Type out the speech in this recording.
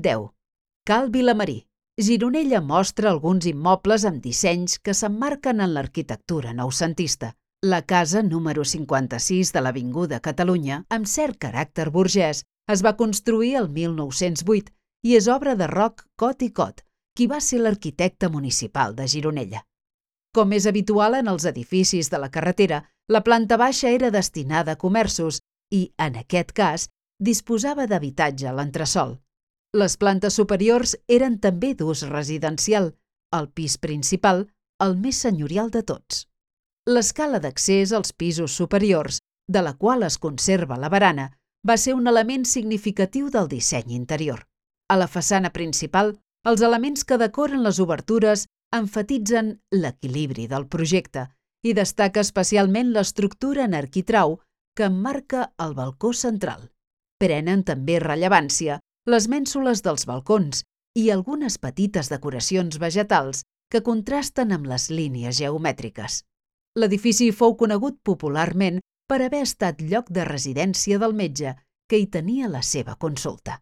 10. Cal Vilamarí. Gironella mostra alguns immobles amb dissenys que s'emmarquen en l'arquitectura noucentista. La casa número 56 de l'Avinguda Catalunya, amb cert caràcter burgès, es va construir el 1908 i és obra de Roc Cot i Cot, qui va ser l'arquitecte municipal de Gironella. Com és habitual en els edificis de la carretera, la planta baixa era destinada a comerços i, en aquest cas, disposava d'habitatge a l'entresòl. Les plantes superiors eren també d'ús residencial, el pis principal, el més senyorial de tots. L'escala d'accés als pisos superiors, de la qual es conserva la barana, va ser un element significatiu del disseny interior. A la façana principal, els elements que decoren les obertures emfatitzen l'equilibri del projecte i destaca especialment l'estructura en arquitrau que emmarca el balcó central. Prenen també rellevància les mènsules dels balcons i algunes petites decoracions vegetals que contrasten amb les línies geomètriques. L'edifici fou conegut popularment per haver estat lloc de residència del metge que hi tenia la seva consulta.